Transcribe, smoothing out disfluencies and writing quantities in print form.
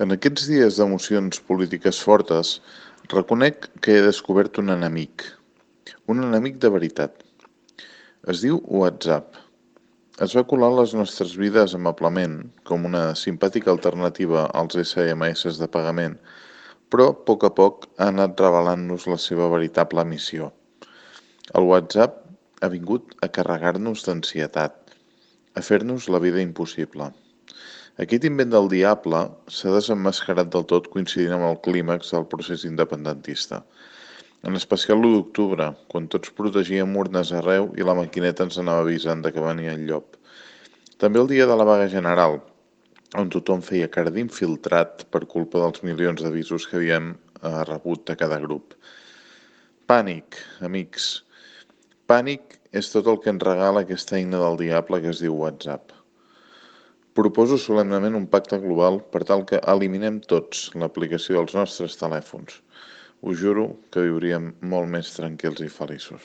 En aquests dies d'emocions polítiques fortes, reconec que he descobert un enemic de veritat. Es diu WhatsApp. Es va colar a les nostres vides amablement, com una simpàtica alternativa als SMS de pagament, però a poc ha anat revelant-nos la seva veritable missió. El WhatsApp ha vingut a carregar-nos d'ansietat, a fer-nos la vida impossible. Aquest invent del diable s'ha desemmascarat del tot coincidint amb el clímax del procés independentista. En especial l'1 d'octubre, quan tots protegíem urnes arreu i la maquineta ens anava avisant de que venia el llop. També el dia de la vaga general, on tothom feia cara d'infiltrat per culpa dels milions d'avisos que havíem rebut de cada grup. Pànic, amics. Pànic és tot el que ens regala aquesta eina del diable que es diu WhatsApp. Proposo solemnement un pacte global per tal que eliminem tots l'aplicació dels nostres telèfons. Us juro que viuríem molt més tranquils i feliços.